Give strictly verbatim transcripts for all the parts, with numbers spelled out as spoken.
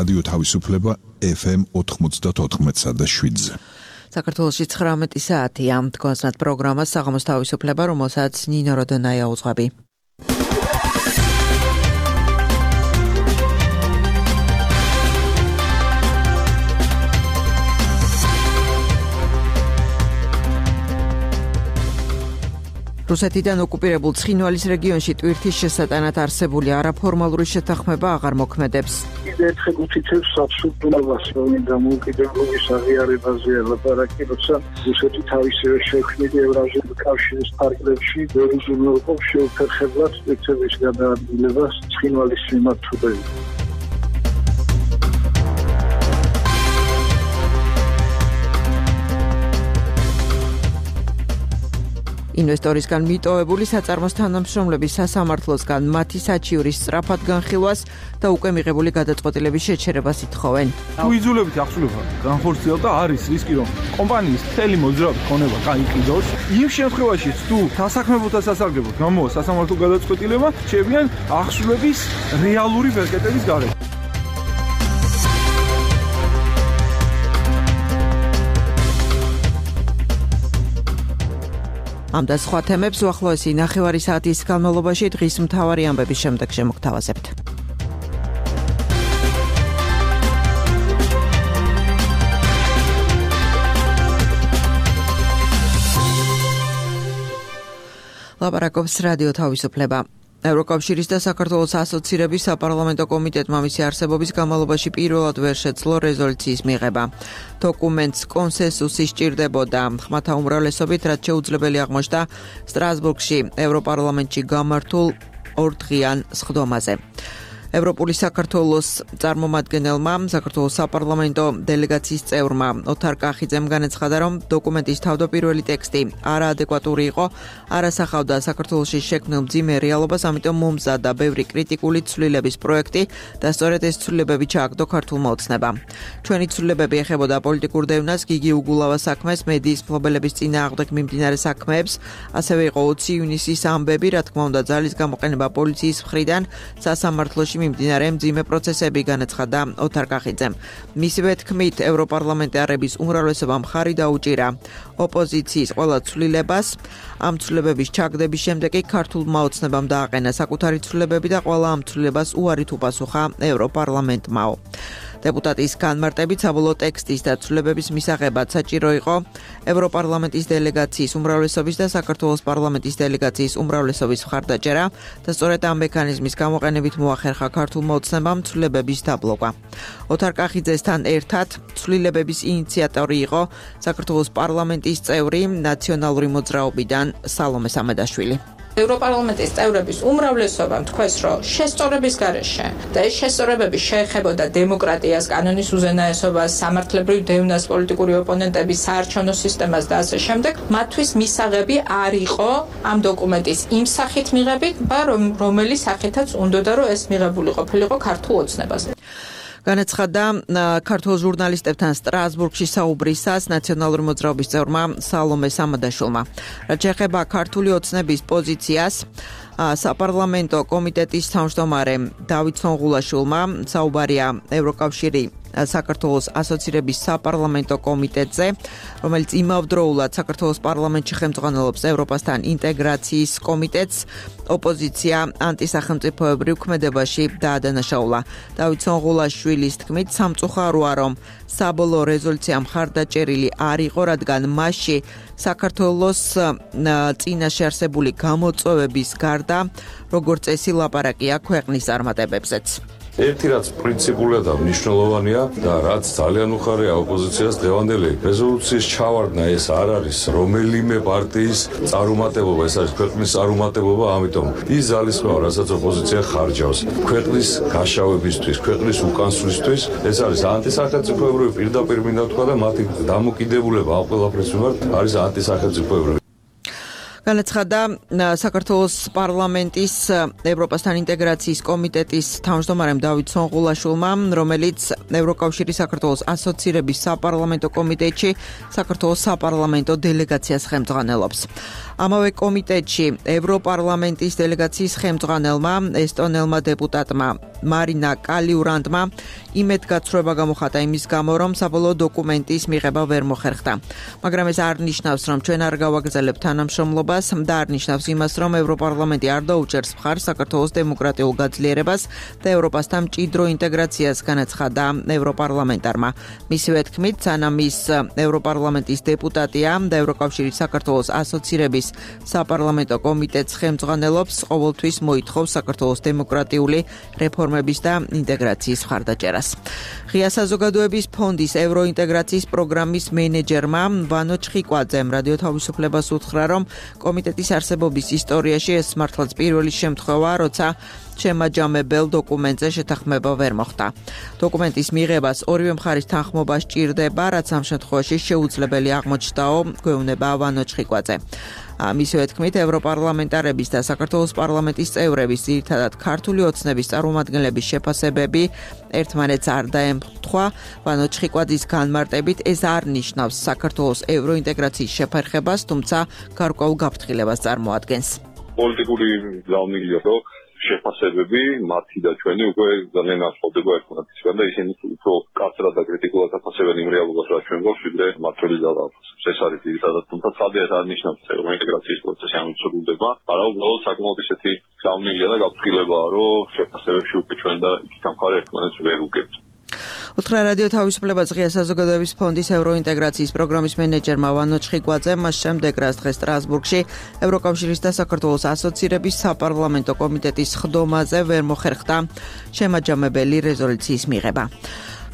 რადიო თავისუფლება ეფ ემ ოთხმოცდაოთხ და შვიდზე. საქართველოში ცხრამეტი საათია. თქვენსნათ პროგრამას საღამოს თავისუფლება, რომელსაც ნინო როდონაია უძღვები. რუსეთიდან ოკუპირებულ ცხინვალის რეგიონში ტვირთის შესატანად არსებული არაფორმალური შეთანხმება აღარ მოქმედებს. კიდევ ერთხელ უთითებს აბსურდულობას, რომ დამოუკიდებლობის აღიარებაზე ლაპარაკი, როცა რუსეთი თავისივე შექმნილი ევრაზიული კავშირის ფარგლებში ვერ უზრუნველყოფს შეუფერხებლად სპეცების გადაადგილებას ცხინვალის მიმართულებით. ინვესტორისგან მიტოვებული საწარმოს თანამშრომლების სასამართლოსგან მათი საჩიურის სწრაფად განხილვას და უკვე მიღებული გადაწყვეტილების შეჩერებას ითხოვენ. თუ იძულებით ახსულება განხორციელდა, არის რისკი, რომ კომპანიის მთელი მოძრაობის ქონება გაიყიდოს. იმ შემთხვევაში, თუ დასაქმებულთა სასარგებლოდ გამოვა სასამართლო გადაწყვეტილება, შეებიან ახსულების რეალური ვერკეტების გარეთ. ამ და სხვა თემებს უახლოესი ნახევარი საათის განმავლობაში დღის მთავარი ამბების შემდეგ შემოგთავაზებთ. ლაპარაკობს რადიო თავისუფლება. ევროკავშირის და საქართველოს ასოცირების საპარლამენტო კომიტეტმა მისი არსებობის განმავლობაში პირველად ვერ შეძლო რეზოლუციის მიღება. დოკუმენტს კონსენსუსი სჭირდებოდა ხმათა უმრავლესობით, რაც შეუძლებელი აღმოჩნდა სტრასბურგში ევროპარლამენტში გამართულ ორდღიან სხდომაზე. ევროპული საქართველოს წარმომადგენელმა საქართველოს საპარლამენტო დელეგაციის წევრმა ოთარ კახიძემ განაცხადა, რომ დოკუმენტის თავდაპირველი ტექსტი არაადეკვატური იყო, არასახავდა საქართველოში შექმნილ მძიმე რეალობას, ამიტომ მომზადა ბევრი კრიტიკული ცვლილების პროექტი და სწორედ ეს ცვლილებები ჩააგდო ქართულმა ოცნებამ. ჩვენი ცვლილებები ეხებოდა პოლიტიკურ დევნას, გიგი უგულავას საქმეს, მედიის მფლობელების წინააღმდეგ მიმდინარე საქმეებს, ასევე იყო ოცი ივნისის ამბები, რა თქმა უნდა, ძალის გამოყენება პოლიციის მხრიდან სასამართლოში მიმდინარე მძიმე პროცესები, განაცხადა ოთარ კახიძემ. მისივე თქმით, ევროპარლამენტარების უმრავლესობამ ხარი დაუჭირა ოპოზიციის ყველა ცვლილებას. ამ ცვლილებების ჩაგდების შემდეგ კი ქართულმა ოცნებამ დააყენა საკუთარი ცვლილებები და ყველა ამ ცვლილებას უარით უპასუხა ევროპარლამენტმაო. დეპუტატის განმარტებით საბოლოო ტექსტის და ცვლილებების მისაღებად საჭირო იყო ევროპარლამენტის დელეგაციის უმრავლესობის და საქართველოს პარლამენტის დელეგაციის უმრავლესობის მხარდაჭერა და სწორედ ამ მექანიზმის გამოყენებით მოახერხა ქართულმა ოცნებამ ცვლილებების დაბლოკვა. ოთარ კახიძესთან ერთად ცვლილებების ინიციატორი იყო საქართველოს პარლამენტის წევრი ნაციონალური მოძრაობიდან სალომე სამედაშვილი. ევროპარლამენტის წევრების უმრავლესობამ თქვეს, რომ შესწორების გარეშე და ეს შესწორებები შეეხებოდა დემოკრატიას, კანონის უზენაესობას, სამართლებრივ დევნას, პოლიტიკური ოპონენტების საარჩევნო სისტემას და ასე შემდეგ, მათთვის მისაღები არ იყო ამ დოკუმენტის იმ სახით მიღებით, რომელიც სახითაც უნდოდა, რომ ეს მიღებული ყოფილიყო ქართულ ოცნებას. განაცხადა ქართულ ჟურნალისტებთან სტრასბურგში საუბრისას ნაციონალური მოძრაობის წევრმა სალომე სამედაშვილმა. რაც შეეხება ქართული ოცნების პოზიციას, საპარლამენტო კომიტეტის თავმჯდომარე დავით სონღულაშვილმა საუბარია ევროკავშირი საქართველოს ასოცირების საპარლამენტო კომიტეტზე, რომელიც იმავდროულად საქართველოს პარლამენტში ხელმძღვანელობს ევროპასთან ინტეგრაციის კომიტეტს, ოპოზიცია ანტისახელმწიფოებრივ ქმედებაში დაადანაშაულა. დავით სონღულაშვილის თქმით, სამწუხაროა, რომ საბოლოო რეზოლუცია მხარდაჭერილი არ იყო, რადგან მასში საქართველოს წინაშე არსებული გამოწვევების გარდა, როგორც წესი, ლაპარაკია ქვეყნის წარმატებებზეც. ერთი რაც პრინციპულად და მნიშვნელოვანია და რაც ძალიან უხარია ოპოზიციას დღევანდელი რეზოლუციის ჩავარდნა ეს არ არის რომელიმე პარტიის წარუმატებლობა, ეს არის ქვეყნის წარუმატებლობა, ამიტომ ის ძალისხმევა, რასაც ოპოზიცია ხარჯავს ქვეყნის გაშავებისთვის, ქვეყნის უკანსვლისთვის, ეს არის ანტისახელმწიფოებრივი, პირდაპირ მინდა ვთქვა და მათი დამოკიდებულება ამ ყველაფრის მიმართ არის ანტისახელმწიფოებრივი. განაცხადა საქართველოს პარლამენტის ევროპასთან ინტეგრაციის კომიტეტის თავმჯდომარემ დავით სონღულაშვილმა, რომელიც ევროკავშირის საქართველოს ასოცირების საპარლამენტო კომიტეტში საქართველოს საპარლამენტო დელეგაციას ხელმძღვანელობს. ამავე კომიტეტში ევროპარლამენტის დელეგაციის ხელმძღვანელმა ესტონელმა დეპუტატმა მარინა კალიურანდმა იმედგაცრუება გამოხატა იმის გამო, რომ საბოლოო დოკუმენტის მიღება ვერ მოხერხდა. მაგრამ ეს არ ნიშნავს, რომ ჩვენ არ გავაგრძელებთ თანამშრომლობას და არ ნიშნავს იმას, რომ ევროპარლამენტი არ დაუჭერს მხარს საქართველოს დემოკრატიულ გაძლიერებას და ევროპასთან მჭიდრო ინტეგრაციას, განაცხადა ევროპარლამენტარმა. მისივე თქმით, სანამ ის ევროპარლამენტის დეპუტატია და ევროკავშირის საქართველოს ასოცირების საპარლამენტო კომიტეტს ხელმძღვანელობს, ყოველთვის მოითხოვს საქართველოს დემოკრატიული რეფორმების და ინტეგრაციის მხარდაჭერას. ღია საზოგადოების ფონდის ევროინტეგრაციის პროგრამის მენეჯერმა ვანო ჩხიკვაძემ რადიო თავისუფლებას უთხრა, რომ კომიტეტის არსებობის ისტორიაში ეს მართლაც პირველი შემთხვევაა, როცა შემაჯამებელ დოკუმენტზე შეთანხმება ვერ მოხდა. დოკუმენტის მიღებას ორივე მხარის თანხმობა სჭირდება, რაც ამ შემთხვევაში შეუძლებელი აღმოჩნდაო, გვეუბნება ვანო ჩხიკვაძე. მისივე თქმით, ევროპარლამენტარების და საქართველოს პარლამენტის წევრების, ძირითადად ქართული ოცნების წარმომადგენლების შეფასებები ერთმანეთს არ დაემთხვა. ვანო ჩხიკვაძის განმარტებით, ეს არ ნიშნავს საქართველოს ევროინტეგრაციის შეფერხებას, თუმცა გარკვეულ გაფრთხილებას წარმოადგენს. პოლიტიკური ძალნილია, რომ შეფასებები მათი და ჩვენი უკვე ძალიან ასწავდება ერთმანეთისგან და ისინი უფრო კაცრად და კრიტიკულად აფასებენ იმ რეალობას, რაც ჩვენ გვაქვს, ვიდრე მართული ძალა აფასებს. ეს არის ძირითადად, თუმცა ცალკე არ ნიშნავს ევროინტეგრაციის პროცესი ამცურდება, არამედ უბრალოდ საკმაოდ ისეთი ძალნილია და გაფრთხილებაა, რომ შეფასებებში უკვე ჩვენ და იქით მხარე ერთმანეთს ვერ უგებთ. უთხრა რადიო თავისუფლებას ღია საზოგადოების ფონდის ევროინტეგრაციის პროგრამის მენეჯერმა ვანო ჩხიკვაძემ, მას შემდეგ რაც დღეს სტრასბურგში ევროკავშირის და საქართველოს ასოცირების საპარლამენტო კომიტეტის ხდომაზე ვერ მოხერხდა შემაჯამებელი რეზოლუციის მიღება.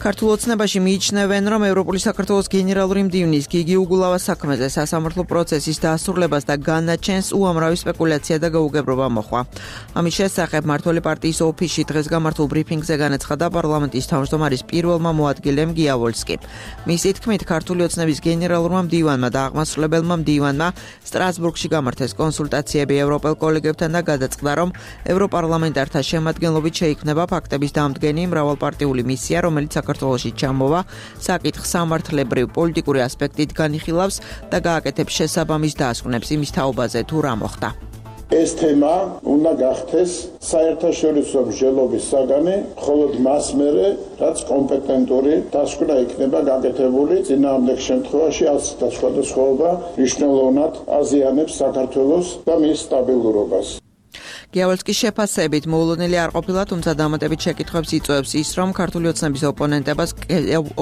ქართულ ოცნებაში მიიჩნევენ, რომ ევროპული საქართველოს გენერალური მდივნის გიგი უგულავას საქმეზე სასამართლო პროცესის დასრულებას და განაჩენს უამრავი სპეკულაცია და გაუგებრობა მოხდა. ამის შესახებ მმართველი პარტიის ოფისში დღეს გამართულ ბრიფინგზე განაცხადა პარლამენტის თავმჯდომარის პირველმა მოადგილემ გიავოლსკიმ. მისი თქმით, ქართული ოცნების გენერალურმა მდივანმა და აღმასრულებელმა მდივანმა სტრასბურგში გამართეს კონსულტაციები ევროპელ კოლეგებთან და გადაწყდა, რომ ევროპარლამენტართა შემადგენლობით შეიქმნება ფაქტების დამდგენი მრავალპარტიული მისია, რომელიც საქართველოში ჩამოვა, საკითხ სამართლებრივ პოლიტიკური ასპექტით განიხილავს და გააკეთებს შესაბამის დასკვნებს იმის თაობაზე თუ რა მოხდა. ეს თემა უნდა გახდეს საერთაშორისო მსჯელობის საგანი, მხოლოდ მას მერე, რაც კომპეტენტური დასკვნა იქნება გაკეთებული, წინააღმდეგ შემთხვევაში ასეთა სხვადასხვაობა მნიშვნელოვნად აზიანებს საქართველოს და მის სტაბილურობას. გიავოლსკის შეფასებით მოულოდნელი არ ყოფილა, თუმცა დამატებით შეკითხვებს იწვევს ის, რომ ქართული ოცნების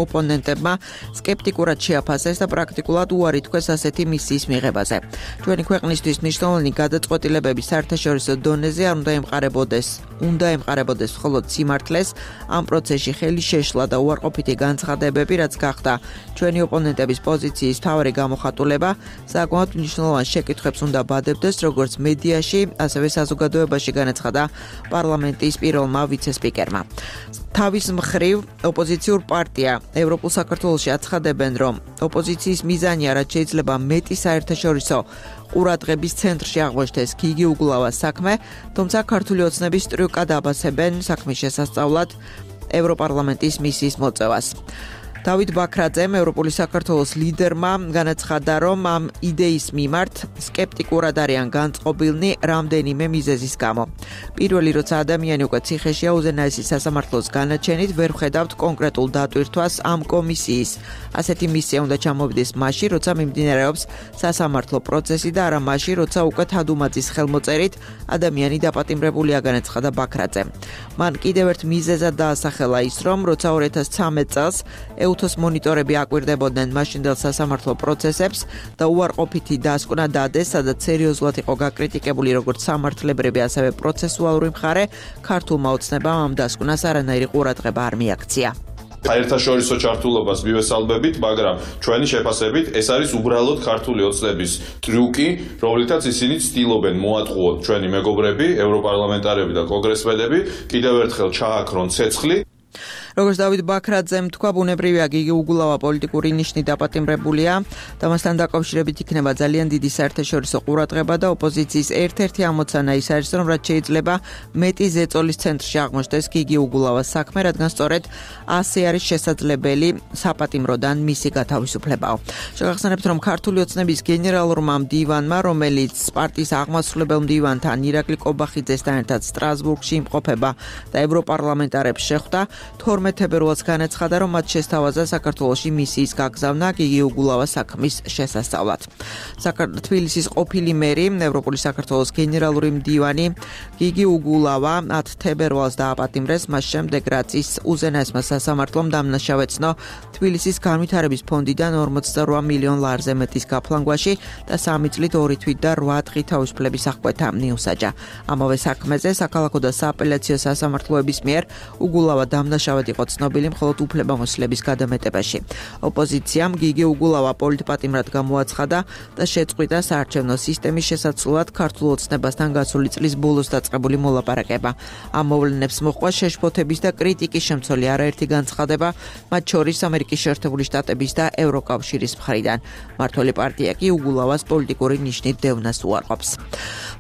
ოპონენტებმა სკეპტიკურად შეაფასეს და პრაქტიკულად უარი თქვეს ასეთი მისიის მიღებაზე. ჩვენი ქვეყნისთვის მნიშვნელოვანი გადაწყვეტილებები საერთაშორისო დონეზე არ უნდა ემყარებოდეს, უნდა ემყარებოდეს მხოლოდ სიმართლეს, ამ პროცესში ხელი შეშლა და უარყოფითი განცხადებები, რაც გახდა ჩვენი ოპონენტების პოზიციის მთავარი გამოხატულება, საკმაოდ მნიშვნელოვან შეკითხვებს უნდა ბადებდეს, როგორც მედიაში, ასევე საზოგადოებაში. განაცხადა პარლამენტის პირველმა ვიცე-სპიკერმა. თავის მხრივ ოპოზიციურ პარტია ევროპულ საქართველოში აცხადებენ, რომ ოპოზიციის მიზანია, რაც შეიძლება მეტი საერთაშორისო ყურადღების ცენტრში აღმოჩნდეს გიგი უგულავას საქმე, თუმცა ქართული ოცნების სტრუქტურად აბასებენ საქმის შესასწავლად ევროპარლამენტის მისიის მოწევას. დავით ბაქრაძემ, ევროპული საქართველოს ლიდერმა, განაცხადა, რომ ამ იდეის მიმართ სკეპტიკურად არიან განწყობილნი რამდენიმე მიზეზის გამო. პირველი, როცა ადამიანი უკვე ციხეშია უზენაესი სასამართლოს განაჩენით, ვერ ხედავთ კონკრეტულ დატვირთვას ამ კომისიის. ასეთი მისია უნდა ჩამოვიდეს მაშინ, როცა მიმდინარეობს სასამართლო პროცესი და არა მაშინ, როცა უკვე თადუმაძის ხელმოწერით ადამიანი დაპატიმრებულია, განაცხადა ბაქრაძემ. მან კიდევ ერთ მიზეზად დაასახელა ის, რომ როცა ორი ათას ცხრამეტ წელს უთოს მონიტორები აკვირდებოდნენ მაშინდელ სასამართლო პროცესებს და უარყოფითი დასკვნა დადეს, სადაც სერიოზულად იყო გაკრიტიკებული როგორც სამართლებრივი, ასევე პროცესუალური მხარე, ქართულმა ოცნებამ ამ დასკვნას არანაირი ყურადღება არ მიაქცია. საერთაშორისო ჩართულობას მივესალმებით, მაგრამ ჩვენი შეფასებით ეს არის უბრალოდ ქართული ოცნების ტრიუკი, რომლითაც ისინი ცდილობენ მოატყუოთ ჩვენი მეგობრები, ევროპარლამენტარები და კონგრესმენები, კიდევ ერთხელ ჩააქრონ ცეცხლი. როგორც დავით ბაქრაძემ თქვა, ბუნებრივია გიგი უგულავა პოლიტიკური ნიშნით დაპატიმრებულია და მასთან დაკავშირებით იქნება ძალიან დიდი საერთაშორისო ყურადღება და ოპოზიციის ერთ-ერთი ამოცანა ის არის, რომ რაც შეიძლება მეტი ზეწოლის ცენტრში აღმოჩნდეს გიგი უგულავას საქმე, რადგან სწორედ ასე არის შესაძლებელი საპატიმროდან მისი გათავისუფლებაო. შეგახსენებთ, რომ ქართული ოცნების გენერალურმა მდივანმა, რომელიც პარტიის აღმასრულებელ მდივანთან ირაკლი კობახიძესთან ერთად სტრასბურგში იმყოფება და ევროპარლამენტარებს შეხვდა, თორმეტ თებერვალს განაცხადა, რომ მათ შესთავაზა საქართველოში მისიის გაგზავნა გიგი უგულავას საქმის შესასწავლად. თბილისის ყოფილი მერი, ევროპული საქართველოს გენერალური მდივანი გიგი უგულავა ათი თებერვალს დააპატიმრეს, მას შემდეგ რაც ის უზენაესმა სასამართლომ დამნაშავეცნო თბილისის განვითარების ფონდიდან ორმოცდაორ მილიონ ლარზე მეტის გაფლანგვაში და სამი წლით ორი თვით და რვა დღით თავისუფლების აღკვეთა მიუსაჯა. ამავე საქმეზე საქალაქო და სააპელაციო სასამართლოების მიერ უგულავა დამნაშავედ იყო ცნობილი მხოლოდ უფლებამოსილების გადამეტებაში. ოპოზიციამ გიგი უგულავა პოლიტპატიმრად გამოაცხადა და შეწყვიტა საარჩევნო სისტემის შესაცვლად ქართულ ოცნებასთან გასული წლის ბოლოს დაწყებული მოლაპარაკება. ამ მოვლენებს მოჰყვა შეშფოთების და კრიტიკის შემცველი არაერთი განცხადება, მათ შორის ამერიკის შეერთებული შტატების და ევროკავშირის მხრიდან. მმართველი პარტია კი უგულავას პოლიტიკური ნიშნით დევნას უარყოფს.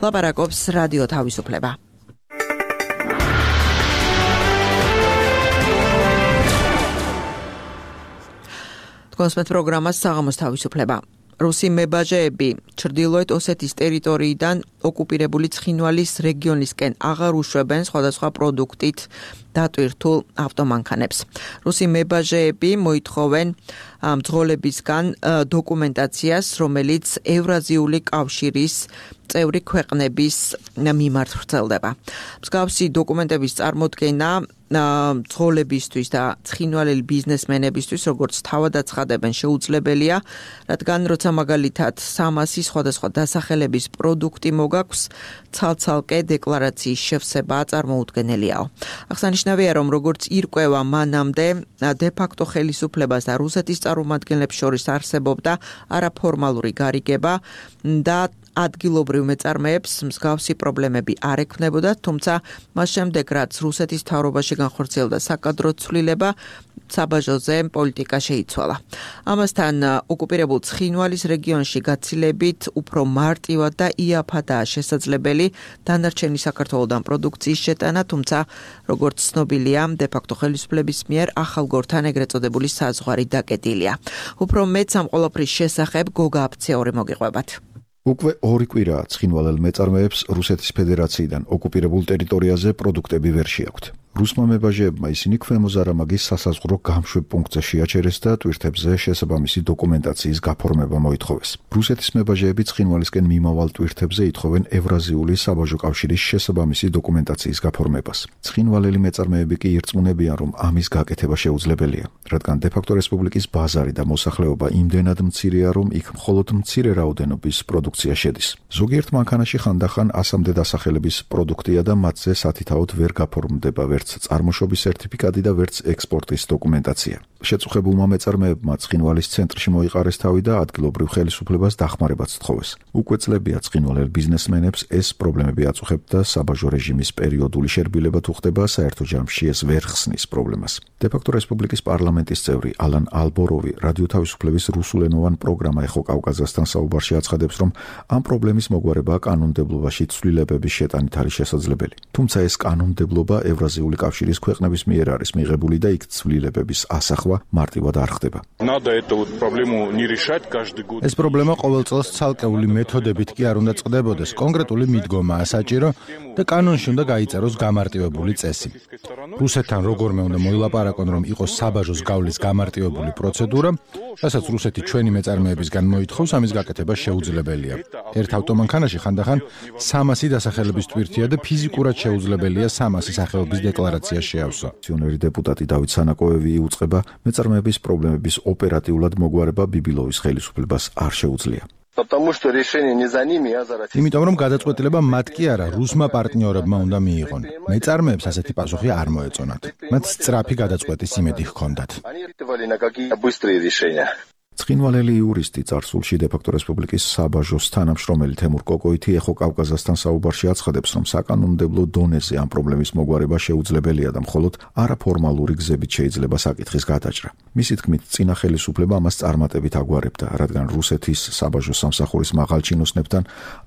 ლაპარაკობს რადიო თავისუფლება. კონსპეთ პროგრამას საღამოს თავისუფლება. რუსი მებაჟეები ჩრდილოეთ ოსეთის ტერიტორიიდან ოკუპირებული ცხინვალის რეგიონისკენ აღარ უშვებენ სხვადასხვა პროდუქტით დატვირთულ ავტომანქანებს. რუსი მებაჟეები მოითხოვენ მძღოლებისგან დოკუმენტაციას, რომელიც ევრაზიული კავშირის წევრი ქვეყნების მიმართ ვრცელდება. მსგავსი დოკუმენტების წარმოდგენა მძღოლებისთვის და ცხინვალელი ბიზნესმენებისთვის, როგორც თავად აცხადებენ, შეუძლებელია, რადგან როცა მაგალითად სამასი სხვადასხვა დასახელების პროდუქტი მოგაქვს, ცალ-ცალკე დეკლარაციის შევსება წარმოუდგენელიაო. აღსანიშნავია, რომ როგორც ირკვევა მანამდე დე-ფაქტო ხელისუფლებას და რუსეთის წარმომადგენლებს შორის არსებობდა არაფორმალური გარიგება და ადგილობრივ მეწარმეებს მსგავსი პრობლემები არ ექმნებოდათ, თუმცა მას შემდეგ რაც რუსეთის მთავრობაში განხორციელდა საკადრო ცვლილება, საბაჟოზე პოლიტიკა შეიცვალა. ამასთან ოკუპირებულ ცხინვალის რეგიონში გაცილებით უფრო მარტივად და იაფადაა შესაძლებელი დანარჩენი საქართველოდან პროდუქციის შეტანა, თუმცა როგორც ცნობილია, დე-ფაქტო ხელისუფლების მიერ ახალგორთან ეგრეთ წოდებული საზღვარი დაკეტილია. უფრო მეც ამ ყველაფრის შესახებ გოგა აფცეორი მოგიყვებათ. უკვე ორი კვირაა ცხინვალელ მეწარმეებს რუსეთის ფედერაციიდან ოკუპირებულ ტერიტორიაზე პროდუქტები ვერ შეაქვთ. რუსმა მებაჟეებმა ისინი ქვემო-ზარამაგის სასაზღვრო გამშვებ პუნქტზე შეაჩერეს და ტვირთებზე შესაბამისი დოკუმენტაციის გაფორმება მოითხოვეს. რუსეთის მებაჟეები ცხინვალისკენ მიმავალ ტვირთებზე ითხოვენ ევრაზიული საბაჟო კავშირის შესაბამისი დოკუმენტაციის გაფორმებას. ცხინვალელი მეწარმეები კი ირწმუნებიან, რომ ამის გაკეთება შეუძლებელია, რადგან დე-ფაქტო რესპუბლიკის ბაზარი და მოსახლეობა იმდენად მცირეა, რომ იქ მხოლოდ მცირე რაოდენობის პროდუქცია შედის. ზოგიერთ მანქანაში ხანდახან ასამდე დასახელების პროდუქტია და მათზე სათითაოდ ვერ გაფორმდება ვერც წარმოშობის სერტიფიკატი და ვერც ექსპორტის დოკუმენტაცია. შეწუხებულმა მეწარმეებმა ცხინვალის ცენტრში მოიყარეს თავი და ადგილობრივ ხელისუფლებას დახმარებაც სთხოვეს. უკვე წლებია ცხინვალელ ბიზნესმენებს ეს პრობლემები აწუხებთ და საბაჟო რეჟიმის პერიოდული შერბილება თუ ხდება, საერთო ჯამში ეს ვერ ხსნის პრობლემას. დე-ფაქტო რესპუბლიკის პარლამენტის წევრი ალან ალბოროვი რადიო თავისუფლების რუსულენოვან პროგრამა ეხო კავკაზასთან საუბარში აცხადებს, რომ ამ პრობლემის მოგვარება კანონმდებლობაში ცვლილებების შეტანით არის შესაძლებელი. თუმცა ეს კანონმდებლობა ევრაზიული კავშირის ქვეყნების მიერ არის მიღებული და იქ ცვლილებების ასახვა მარტივად არ ხდება. ეს პრობლემა ყოველ წელს ცალკეული მეთოდებით კი არ უნდა წყდებოდეს, კონკრეტული მიდგომაა საჭირო და კანონში უნდა გაიწეროს გამარტივებული წესი. რუსეთთან როგორმე უნდა მოილაპარაკონ, რომ იყოს საბაჟოს გავლის გამარტივებული პროცედურა, რასაც რუსეთი ჩვენი მეწარმეებისგან მოითხოვს, ამის გაკეთება შეუძლებელია. ერთ ავტომანქანაში ხანდახან სამასი დასახელების ტვირთია და ფიზიკურად შეუძლებელია სამასი სახეობის დეკლარაცია შეავსო. ფუნქციონერი დეპუტატი დავით სანაკოევი იუწყება, მეწარმეების პრობლემების ოპერატიულად მოგვარება ბიბილოვის ხელისუფლებას არ შეუძლია. იმიტომ რომ გადაწყვეტილება მათ კი არა, რუსმა პარტნიორებმა უნდა მიიღონ. მეწარმეებს ასეთი პასუხი არ მოეწონათ. მათ სწრაფი გადაწყვეტის იმედი ჰქონდათ. ცხინვალელი იურისტი წარსულში დე-ფაქტო რესპუბლიკის საბაჟოს თანამშრომელი თემურ კოკოითი ეხო კავკაზასთან საუბარში აცხადებს, რომ საკანონმდებლო დონეზე ამ პრობლემის მოგვარება შეუძლებელია და მხოლოდ არაფორმალური გზებით შეიძლება საკითხის გადაჭრა. მისი თქმით, წინა ხელისუფლება ამას წარმატებით აგვარებდა, რადგან რუსეთის საბაჟო სამსახურის მაღალ ჩინოსნებთან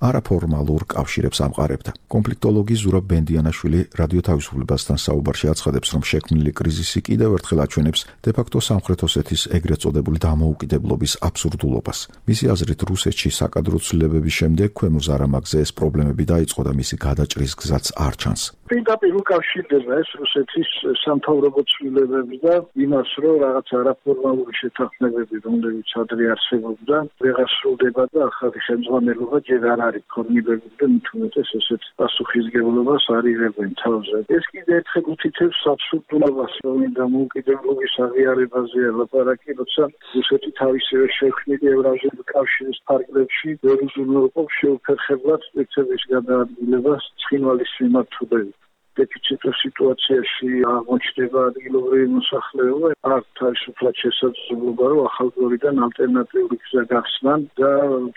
არაფორმალურ კავშირებს ამყარებდა. კონფლიქტოლოგი ზურაბ ბენდიანაშვილი რადიო თავისუფლებასთან საუბარში აცხადებს, რომ შექმნილი კრიზისი კიდევ ერთხელ აჩვენებს დე-ფაქტო სამხრეთ ოსეთის ეგრეთ წოდებული დამოუკიდებლობის აბსურდულობას. მისი აზრით, რუსეთში საკადრო ცვლილებების შემდეგ ქვემო ზარამაგზე ეს პრობლემები დაიწყო და მისი გადაჭრის გზაც არ ჩანს. პირდაპირ უკავშირდება ეს რუსეთის სამთავრობო ცვლილებები და იმას, რომ რაღაც არაფორმალური შეთანხმებები, რომლებიც ადრე არსებობდა, ვეღარ სრულდება და ახალი ხელმძღვანელობა ჯერ არ არის ფორმირებული და მით უმეტეს ესეთ პასუხისმგებლობას არ იღებენ თავზე. ეს კიდევ ერთხელ უთითებს აბსურდულობას, რომ დამოუკიდებლობის აღიარებაზე ლაპარაკი, როცა რუსეთი თავისივე შექმნილი ევრაზიული კავშირის ფარგლებში ვერ უზრუნველყოფს შეუფერხებლად სპეცების გადაადგილებას ცხინვალის მიმართულებით. დეფიციტურ სიტუაციაში აღმოჩნდება ადგილობრივი მოსახლეობა, არ თავისუფლად შესაძლებლობა, რომ ახალგორიდან ალტერნატიული გზა გახსნან და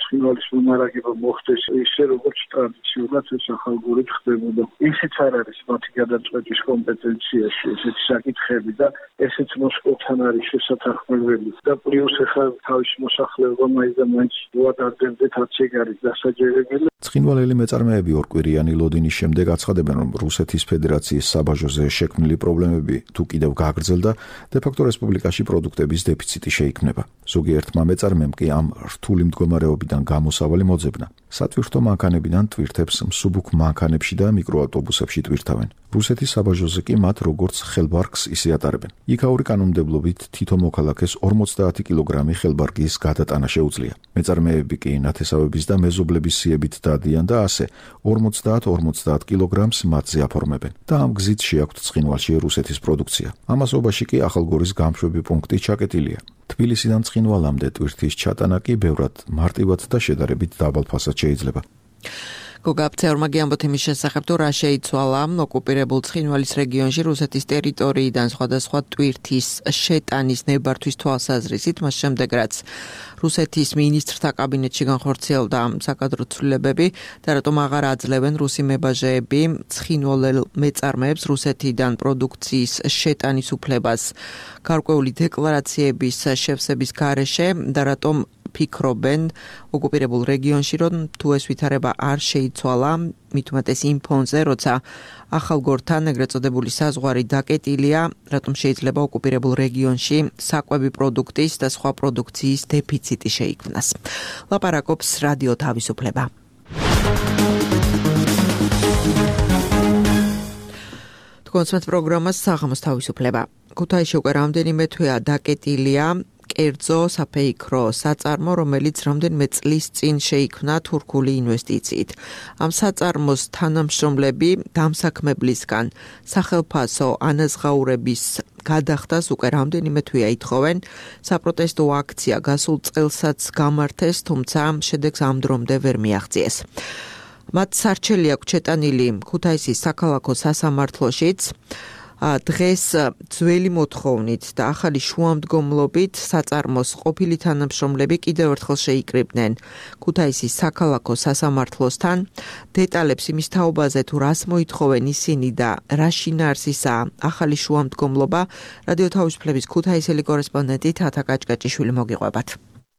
ცხინვალის მომარაგება მოხდეს ისე, როგორც ტრადიციულად ეს ახალგორი ხდებოდა. ისიც არ არის მათი გადაწყვეტის კომპეტენციაში ესეთი საკითხები და ესეც მოსკოვთან არის შესათანხმებელი და პლუს ახლა თავის მოსახლეობა მაინც და მაინც უადარდებდეთ რაც ეგ არის დასაჯერებელი. ცხინვალელი მეწარმეები ორკვირიანი ლოდინის შემდეგ აცხადებენ, რომ რუსეთის ფედერაციის საბაჟოზე შექმნილი პრობლემები თუ კიდევ გაგრძელდა, დე-ფაქტო რესპუბლიკაში პროდუქტების დეფიციტი შეიქმნება. ზოგიერთმა მეწარმემ კი ამ რთული მდგომარეობიდან გამოსავალი მოძებნა. სატვირთო მანქანებიდან ტვირთებს მსუბუქ მანქანებში და მიკროავტობუსებში ტვირთავენ. რუსეთის საბაჟოზე კი მათ როგორც ხელბარგს ისე ატარებენ. იქაური კანონმდებლობით თითო მოქალაქეს ორმოცდაათი კილოგრამი ხელბარგის გადატანა შეუძლია. მეწარმეები კი ნათესავების და მეზობლების სიებით დადიან და ასე ორმოცდაათ ორმოცდაათ კილოგრამს მათზე აფორმებენ. და ამ გზით შეაქვთ ცხინვალში რუსეთის პროდუქცია. ამასობაში კი ახალგორის გამშვები პუნქტი ჩაკეტილია. თბილისიდან ცხინვალამდე ტვირთის ჩატანა კი ბევრად მარტივად და შედარებით დაბალ ფასად შეიძლება. გოგაბცეორმა გიამბოთ იმის შესახებ, თუ რა შეიცვალა ოკუპირებულ ცხინვალის რეგიონში რუსეთის ტერიტორიიდან სხვადასხვა ტვირთის შეტანის ნებართვის თვალსაზრისით, მას შემდეგ რაც რუსეთის მინისტრთა კაბინეტში განხორციელდა საკადრო ცვლილებები და რატომ აღარ აძლევენ რუსი მებაჟეები ცხინვალელ მეწარმეებს რუსეთიდან პროდუქციის შეტანის უფლებას გარკვეული დეკლარაციების შევსების გარეშე და რატომ ფიქრობენ ოკუპირებულ რეგიონში, რომ თუ ეს ვითარება არ შეიცვალა, მით უმეტეს იმ ფონზე, როცა ახალგორთან ეგრეთ წოდებული საზღვარი დაკეტილია, რატომ შეიძლება ოკუპირებულ რეგიონში საკვები პროდუქტის და სხვა პროდუქციის დეფიციტი შეიქმნას. ლაპარაკობს რადიო თავისუფლება. თქვენს პროგრამას საღამოს თავისუფლება. ქუთაისში უკვე რამდენიმე თვეა დაკეტილია კერძო საფეიქრო საწარმო, რომელიც რამდენიმე წლის წინ შეიქმნა თურქული ინვესტიციით. ამ საწარმოს თანამშრომლები დამსაქმებლისგან სახელფასო ანაზღაურების გადახდას უკვე რამდენიმე თვეა ითხოვენ. საპროტესტო აქცია გასულ წელსაც გამართეს, თუმცა შედეგს ამ დრომდე ვერ მიაღწიეს. მათ სარჩელი აქვს ჩეტანილი ქუთაისის საქალაქო სასამართლოშიც. დღეს ძველი მოთხოვნით და ახალი შუამდგომლობით საწარმოს ყოფილი თანამშრომლები კიდევ ერთხელ შეიკრიბნენ ქუთაისის საქალაქო სასამართლოსთან. დეტალებს იმის თაობაზე, თუ რას მოითხოვენ ისინი და რა შინაარსისაა ახალი შუამდგომლობა, რადიო თავისუფლების ქუთაისელი კორესპონდენტი თათა კაჭკაჭიშვილი მოგიყვებათ.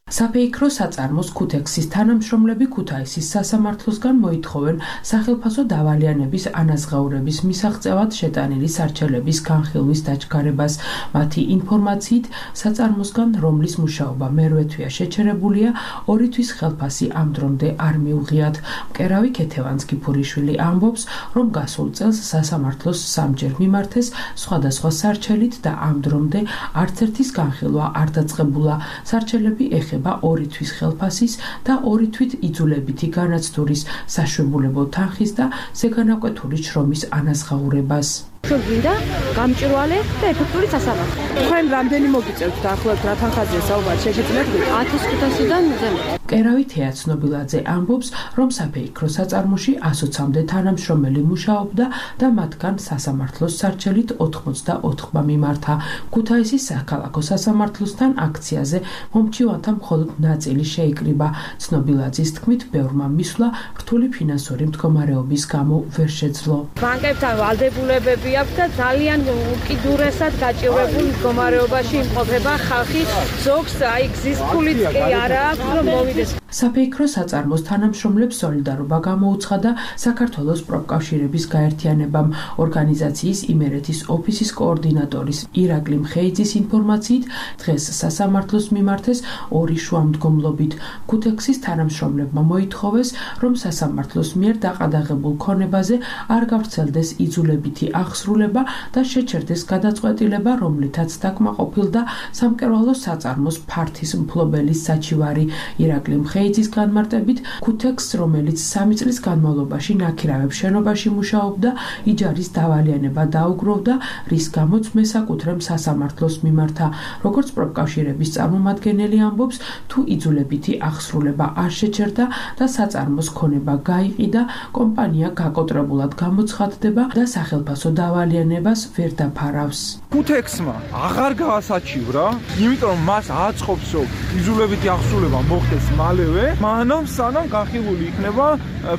საფეიქრო საწარმოს ქუთექსის თანამშრომლები ქუთაისის სასამართლოსგან მოითხოვენ სახელფასო დავალიანების ანაზღაურების მისაღწევად შეტანილი სარჩელების განხილვის დაჩქარებას. მათი ინფორმაციით, საწარმოსგან, რომლის მუშაობა მერვე თვეა შეჩერებულია, ორი თვის ხელფასი ამ დრომდე არ მიუღიათ. მკერავი ქეთევანსკი ფურიშვილი ამბობს, რომ გასულ წელს სასამართლოს სამჯერ მიმართეს სხვადასხვა სარჩელით და ამ დრომდე არც ერთის განხილვა არ დაწყებულა. სარჩელები ეხება ორი თვის ხელფასის და ორი თვით იძულებითი განაცდურის, საშვებულებო თანხის და ზეგანაკვეთური შრომის ანაზღაურებას. ჩვენ გვინდა გამჭვირვალე და ეფექტური სასამართლო. თქვენ რამდენი მოგიწევთ დაახლოებით რა თანხაზეა საუბარი შეგიძლიათ ათას ხუთასიდან ზემოთ. კერავი თეაცნობილაძე ამბობს, რომ საფეიქრო საწარმოში ასოცამდე თანამშრომელი მუშაობდა და მათგან სასამართლოს სარჩელით ოთხმოცდაოთხმა მიმართა. ქუთაისის საქალაქო სასამართლოსთან აქციაზე მომჩივანთა მხოლოდ ნაწილი შეიკრიბა. ცნობილაძის თქმით, ბევრმა მისვლა რთული ფინანსური მდგომარეობის გამო ვერ შეძლო. ბანკებთან ვალდებულებები აქვს და ძალიან უკიდურესად გაჭირვებულ მდგომარეობაში იმყოფება ხალხი. ზოგს აი გზის ფულიც კი არა აქვს, რომ მოვიდეს. საფეიქრო საწარმოს თანამშრომლებს სოლიდარობა გამოუცხადა საქართველოს პროფკავშირების გაერთიანებამ. ორგანიზაციის იმერეთის ოფისის კოორდინატორის ირაკლი მხეიძის ინფორმაციით, დღეს სასამართლოს მიმართეს ორი შუამდგომლობით. ქუთექსის თანამშრომლებმა მოითხოვეს, რომ სასამართლოს მიერ დაყადაღებულ ქონებაზე არ გავრცელდეს იძულებითი აღსრულება და შეჩერდეს გადაწყვეტილება, რომლითაც დაკმაყოფილდა სამკერვალო საწარმოს ფართის მფლობელის საჩივარი. ირაკლი მხეიძის განმარტებით, ქუთექსს, რომელიც სამი წლის განმავლობაში ნაქირავებს შენობაში მუშაობდა, იჯარის დავალიანება დაუგროვდა, რის გამოც მესაკუთრემ სასამართლოს მიმართა. როგორც პროფკავშირების წარმომადგენელი ამბობს, თუ იძულებითი აღსრულება არ შეჩერდა და საწარმოს ქონება გაიყიდა, კომპანია გაკოტრებულად გამოცხადდება და სახელფასო დავალიანებას ვერ დაფარავს. ქუთექსმა აღარ გაასაჩივრა, იმიტომ რომ მას აწყობს, რომ იძულებითი აღსრულება მოხდეს მალევე, მანამ სანამ განხილული იქნება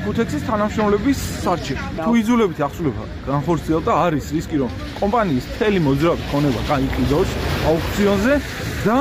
ქუთექსის თანამშრომლების სარჩელი. თუ იძულებითი აღსრულება განხორციელდა, არის რისკი, რომ კომპანიის მთელი მოძრაობის ქონება გაიყიდოს აუქციონზე და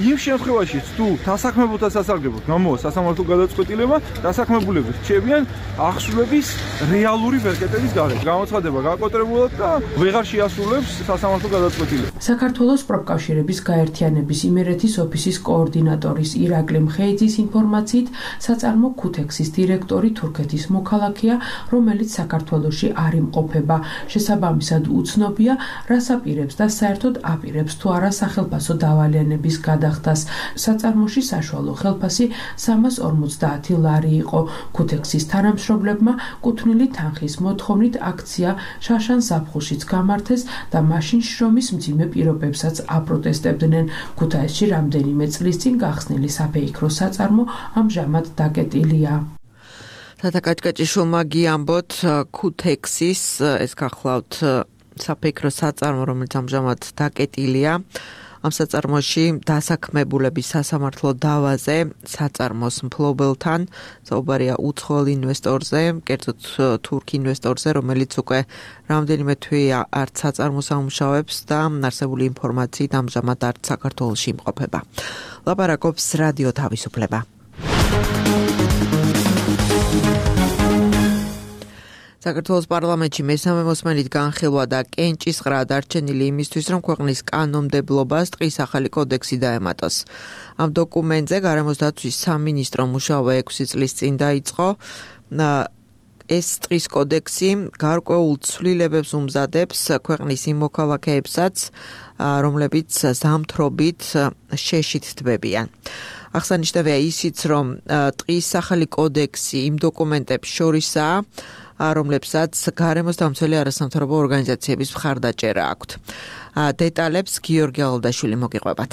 იმ შემთხვევაშიც თუ დასაქმებულთა სასარგებლოდ გამოვა სასამართლო გადაწყვეტილება, დასაქმებულები რჩებიან აღსრულების რეალური ვერკეტების გარეთ. გამოცხადება გაკოტრებულად და ვეღარ შეასრულებს სასამართლო გადაწყვეტილებას. საქართველოს პროფკავშირების გაერთიანების იმერეთის ოფისის კოორდინატორის ირაკლი მხეიძის ინფორმაციით, საწარმო ქუთექსის დირექტორი თურქეთის მოქალაქეა, რომელიც საქართველოში არ იმყოფება. შესაბამისად უცნობია, რას აპირებს და საერთოდ აპირებს თუ არა სახელფასო დავალიანების გადახდას. საწარმოში საშუალო ხელფასი სამას ორმოცდაათი ლარი იყო. ქუთექსის თანამშრომლებმა კუთვნილი თანხის მოთხოვნით აქცია შაშან ზაფხულშიც გამართეს და მაშინ შრომის მძიმე პირობებსაც აპროტესტებდნენ. ქუთაისში რამდენიმე წლის წინ გახსნილი საფეიქრო საწარმო ამჟამად დაკეტილია. თათაკაჭკაჭიშვილმა გიამბოთ ქუთექსის ეს გახლავთ საფეიქრო საწარმო, რომელიც ამჟამად დაკეტილია. ამ საწარმოში დასაქმებულების სასამართლო დავაზე საწარმოს მფლობელთან საუბარია უცხოელ ინვესტორზე, კერძოდ თურქ ინვესტორზე, რომელიც უკვე რამდენიმე თვეა არც საწარმოს ამუშავებს და არსებული ინფორმაციით ამჟამად არც საქართველოში იმყოფება. ლაპარაკობს რადიო თავისუფლება. საქართველოს პარლამენტში მესამე მოსმენით განხილვა და კენჭისყრა დარჩენილი იმისთვის, რომ ქვეყნის კანონმდებლობას ტყის ახალი კოდექსი დაემატოს. ამ დოკუმენტზე გარემოს დაცვის სამინისტრო მუშაობა ექვსი წლის წინ დაიწყო. ეს ტყის კოდექსი გარკვეულ ცვლილებებს უმზადებს ქვეყნის იმ მოქალაქეებსაც, რომლებიც ზამთრობით შეშით თბებიან. აღსანიშნავია ისიც, რომ ტყის ახალი კოდექსი იმ დოკუმენტებს შორისაა, რომლებსაც გარემოს დამცველი არასამთავრობო ორგანიზაციების მხარდაჭერა აქვთ. დეტალებს გიორგი ალდაშვილი მოგიყვებათ.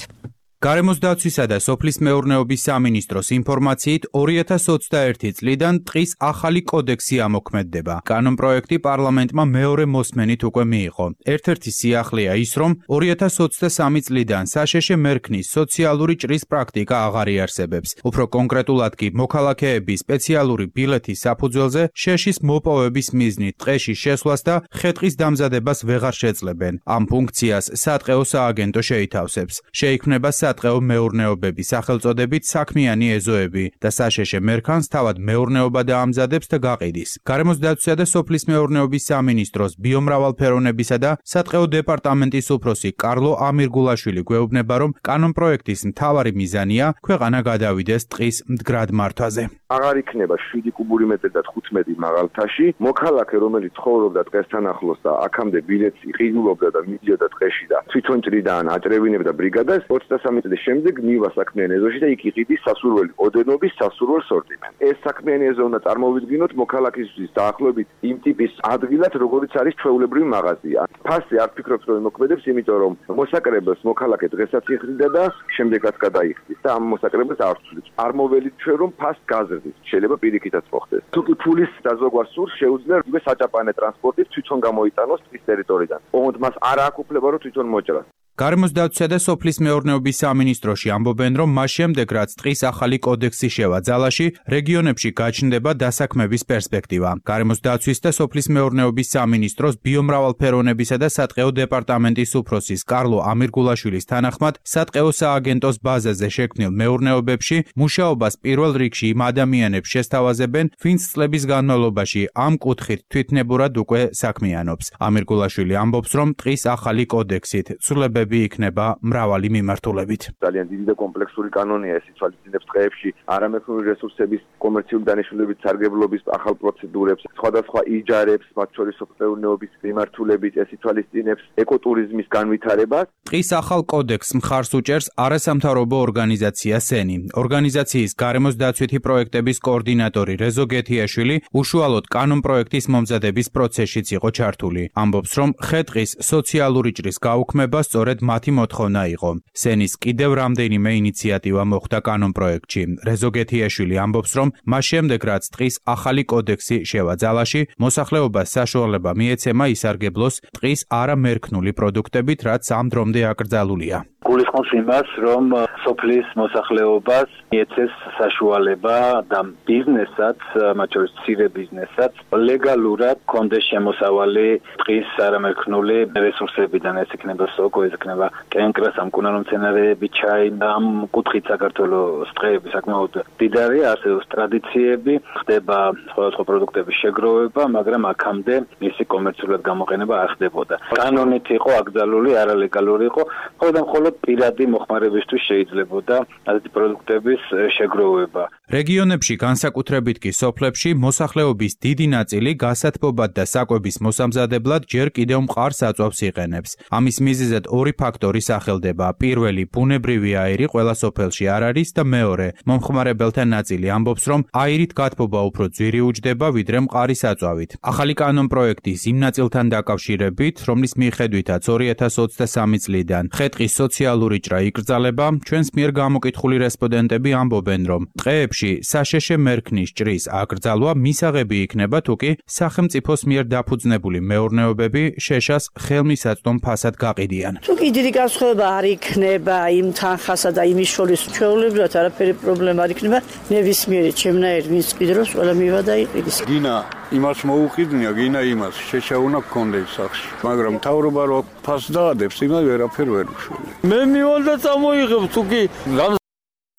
გარემოს დაცვისა და სოფლის მეურნეობის სამინისტროს ინფორმაციით ორი ათას ოცდაერთი წლიდან ტყის ახალი კოდექსი ამოქმედდება. კანონპროექტი პარლამენტმა მეორე მოსმენით უკვე მიიღო. ერთ-ერთი სიახლეა ის, რომ ორი ათას ოცდასამი წლიდან საშეშე მერქნის სოციალური ჭრის პრაქტიკა აღარ იარსებებს. უფრო კონკრეტულად კი მოქალაქეების სპეციალური ბილეთის საფუძველზე შეშის მოპოვების მიზნით ტყეში შესვლას და ხე-ტყის დამზადებას ვეღარ შეძლებენ. ამ ფუნქციას სატყეო სააგენტო შეითავსებს. შეიქმნება სატყეო მეურნეობების სახელწოდებით საქმიანი ეზოები და საშეშე მერქანს თავად მეურნეობა დაამზადებს და გაყიდის. გარემოს დაცვისა და სოფლის მეურნეობის სამინისტროს ბიომრავალფეროვნებისა და სატყეო დეპარტამენტის უფროსი კარლო ამირგულაშვილი გვეუბნება, რომ კანონპროექტის მთავარი მიზანია ქვეყანა გადავიდეს ტყის მდგრად მართვაზე. აღარ იქნება შვიდი კუბური მეტრი და თხუთმეტი მაღალთაში. მოქალაქე, რომელიც ცხოვრობდა ტყესთან ახლოს და აქამდე ბილეთს იყიდულობდა და მიდიოდა ტყეში და თვითონ ჭრიდან აჭრევინებდა ბრიგადას, ოცდასამი წლის შემდეგ მივა საქმიანი ეზოში და იქ იყიდის სასურველი ოდენობის სასურველ სორტიმენტს. ეს საქმიანი ეზო უნდა წარმოვიდგინოთ მოქალაქისთვის დაახლოებით იმ ტიპის ადგილად, როგორიც არის ჩვეულებრივი მაღაზია. ფასი არ ფიქრობთ რომ იმოქმედებს, იმიტომ რომ მოსაკრებელს მოქალაქე დღესაც იხდიდა და შემდეგაც გადაიხდის და ამ მოსაკრებელს არ ცვლით. არ მოველით ჩვენ რომ ფასს გაზრდით. შეიძლება პირიქითაც მოხდეს. თუ კი ფულის დაზოგვა სურს, შეუძლია იგივე საჭაპანე ტრანსპორტით თვითონ გამოიტანოს ტყის ტერიტორიიდან. ოღონდ მას არ აქვს უფლება რომ თვითონ მოჭრას. გარემოს დაცვისა და სოფლის მეურნეობის სამინისტროში ამბობენ, რომ მას შემდეგ, რაც ტყის ახალი კოდექსი შევა ძალაში, რეგიონებში გაჩნდება დასაქმების პერსპექტივა. გარემოს დაცვის და სოფლის მეურნეობის სამინისტროს ბიომრავალფეროვნებისა და სატყეო დეპარტამენტის უფროსის კარლო ამირგულაშვილის თანახმად, სატყეო სააგენტოს ბაზაზე შექმნილ მეურნეობებში მუშაობას პირველ რიგში იმ ადამიანებს შესთავაზებენ, ვინც წლების განმავლობაში ამ კუთხით თვითნებურად უკვე საქმიანობს. ამირგულაშვილი ამბობს, რომ ტყის ახალი კოდექსით ცვლილებები იქნება მრავალი მიმართულებით. ძალიან დიდი და კომპლექსური კანონია ეს ითვალისწინებს ტყეებში არამექნიური რესურსების კომერციული დანიშნულებით სარგებლობის ახალ პროცედურებს, სხვადასხვა იჯარებს, მათ შორის მეურნეობის მიმართულებით ეს ითვალისწინებს ეკოტურიზმის განვითარებას. ტყის ახალ კოდექსს მხარს უჭერს არასამთავრობო ორგანიზაცია სენი. ორგანიზაციის გარემოს დაცვითი პროექტების კოორდინატორი რეზო გეთიაშვილი უშუალოდ კანონპროექტის მომზადების პროცესშიც იყო ჩართული. ამბობს, რომ ხე-ტყის სოციალური ჭრის გაუქმება სწორედ მათი მოთხოვნა იყო. სენის კიდევ რამდენიმე ინიციატივა მოხდა კანონპროექტში. რეზო გეთიაშვილი ამბობს, რომ მას შემდეგ, რაც ტყის ახალი კოდექსი შევა ძალაში, მოსახლეობას საშუალება მიეცემა ისარგებლოს ტყის არამერქნული პროდუქტებით, რაც ამ დრომდე აკრძალულია. გულისხმობს იმას, რომ სოფლის მოსახლეობას მიეცეს საშუალება და ბიზნესაც, მათ შორის მცირე ბიზნესაც, ლეგალურად კონდეს შემოსავალი ტყის არამერქნული რესურსებიდან, ეს იქნება სოკო, ეს იქნება კენკრა, სამკურნალო მცენარეები, ჩაი, ამ კუთხით საქართველოს ტყეები საკმაოდ მდიდარია, არსებობს ტრადიციები, ხდება სხვადასხვა პროდუქტების შეგროვება, მაგრამ აქამდე მისი კომერციულად გამოყენება არ ხდებოდა. კანონით იყო აკრძალული, არალეგალური იყო, ხოლო და მხოლოდ პირადი მოხმარებისთვის შეიძლებოდა ასეთი პროდუქტების შეგროვება. რეგიონებში, განსაკუთრებით კი სოფლებში, მოსახლეობის დიდი ნაწილი გასათბობად და საკვების მოსამზადებლად ჯერ კიდევ მყარ საწვავს იყენებს. ამის მიზეზად ორი ფაქტორი სახელდება. პირველი, ბუნებრივი აირი ყველა სოფელში არ არის და მეორე, მომხმარებელთა ნაწილი ამბობს, რომ აირით გათბობა უფრო ძვირი უჯდება, ვიდრე მყარი საწვავით. ახალი კანონპროექტის იმ ნაწილთან დაკავშირებით, რომლის მიხედვითაც ორი ათას ოცდასამი წლიდან ხე-ტყის სოციალური ჭრა იკრძალება, ჩვენს მიერ გამოკითხული რესპონდენტები ამბობენ, რომ ტყეებში საშეშე მერქნის ჭრის აკრძალვა მისაღები იქნება, თუკი სახელმწიფოს მიერ დაფუძნებული მეურნეობები შეშას ხელმისაწვდომ ფასად გაყიდიან. თუკი დიდი განსხვავება არ იქნება იმ თანხასა და იმის შორის ჩვეულებრივად არაფერი პრობლემა არ იქნება, ნებისმიერი ჩემნაირი ვინც ყიდრობს, ყველა მივა და იყიდის. გინა იმას მოუყიდნია, გინა იმას შეშა უნდა გქონდეს სახში, მაგრამ მთავრობა რო ფასს დაადებს, იმას ვერაფერ ვერ უშველე. მე მივალდა წამოიღებ, თუკი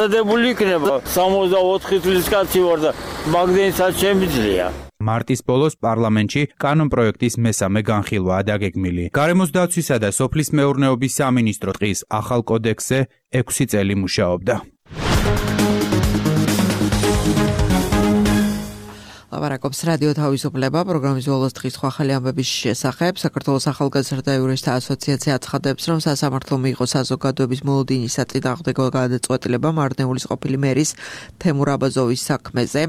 დებული იქნება სამოცდაოთხი წლის კაცი ვარ და მაგდენსაც შემიძლია. მარტის ბოლოს პარლამენტში კანონპროექტის მესამე განხილვაა დაგეგმილი. გარემოს დაცვისა და სოფლის მეურნეობის სამინისტრო ტყის ახალ კოდექსზე ექვსი წელი მუშაობდა. ლაპარაკობს რადიო თავისუფლება, პროგრამის ბოლოს დღის სხვა ახალი ამბების შესახებ. საქართველოს ახალგაზრდა იურისტთა ასოციაცია აცხადებს, რომ სასამართლომ მიიღო საზოგადოების მოლოდინის საწინააღმდეგო გადაწყვეტილება მარნეულის ყოფილი მერის თემურ აბაზოვის საქმეზე.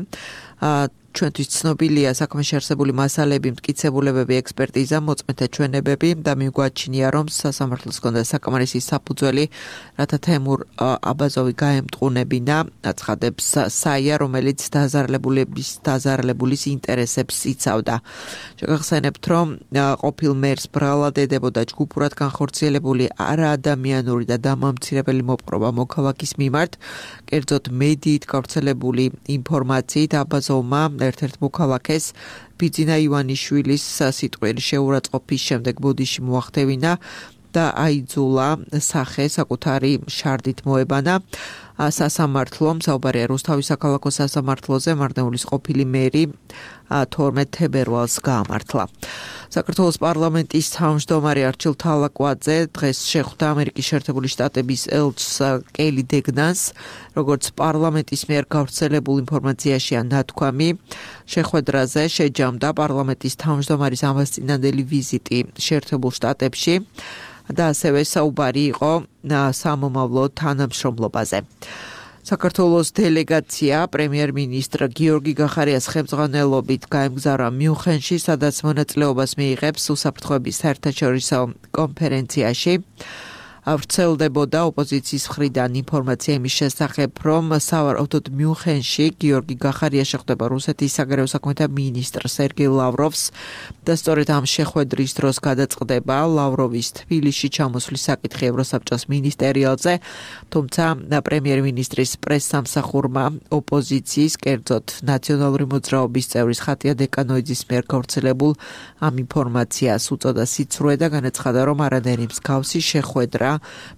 ჩვენთვის ცნობილია საქმეში არსებული მასალები, მტკიცებულებები, ექსპერტიზა, მოწმეთა ჩვენებები და მიგვაჩნია, რომ სასამართლოს ჰქონდა საკმარისი საფუძველი, რათა თემურ აბაზოვი გაემტყუნებინა, აცხადებს საია, რომელიც დაზარალებულების დაზარალებულის ინტერესებს იცავდა. შეგახსენებთ, რომ ყოფილ მერს ბრალად ედებოდა ჯგუფურად განხორციელებული არაადამიანური და დამამცირებელი მოპყრობა მოქალაქის მიმართ, კერძოდ მედიით გავრცელებული ინფორმაციით აბაზოვმა ერთ-ერთ მოქალაქეს ბიძინა ივანიშვილის სიტყვიერი შეურაცხყოფის შემდეგ ბოდიში მოახდევინა და აიძულა სახე საკუთარი შარდით მოებანა. სასამართლომ საუბარია რუსთავის საქალაქო სასამართლოზე მარნეულის ყოფილი მერი თორმეტ თებერვალს გაამართლა. საქართველოს პარლამენტის თავმჯდომარე არჩილ თალაკვაძე დღეს შეხვდა ამერიკის შეერთებული შტატების ელჩს კელი დეგნანს, როგორც პარლამენტის მიერ გავრცელებულ ინფორმაციაშია ნათქვამი. შეხვედრაზე შეჯამდა პარლამენტის თავმჯდომარის ამასწინებელი ვიზიტი შეერთებულ შტატებში. და ასევე საუბარი იყო სამომავლო თანამშრომლობაზე. საქართველოს დელეგაცია პრემიერ-მინისტრ გიორგი გახარიას ხელმძღვანელობით გაემგზავრა მიუნხენში, სადაც მონაწილეობას მიიღებს უსაფრთხოების საერთაშორისო კონფერენციაში. ვრცელდებოდა ოპოზიციის მხრიდან ინფორმაცია იმის შესახებ, რომ სავარაუდოდ მიუნხენში გიორგი გახარია შეხვდება რუსეთის საგარეო საქმეთა მინისტრ სერგეი ლავროვს და სწორედ ამ შეხვედრის დროს გადაწყდება ლავროვის თბილისში ჩამოსვლის საკითხი ევროსაბჭოს მინისტერიალზე, თუმცა პრემიერ-მინისტრის პრესსამსახურმა ოპოზიციის, კერძოდ ნაციონალური მოძრაობის წევრის ხატია დეკანოიძის მიერ გავრცელებულ ამ ინფორმაციას უწოდა სიცრუე და განაცხადა, რომ არანაირი მსგავსი შეხვედრა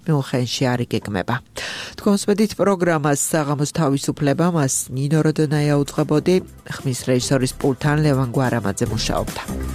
მიუნხენში არ იგეგმება. თქვენს მედით პროგრამას საღამოს თავისუფლება მას ნინო როდონაია უძღვებოდი, ხმის რეჟისორის პულტთან ლევან გვარამაძე მუშაობდა.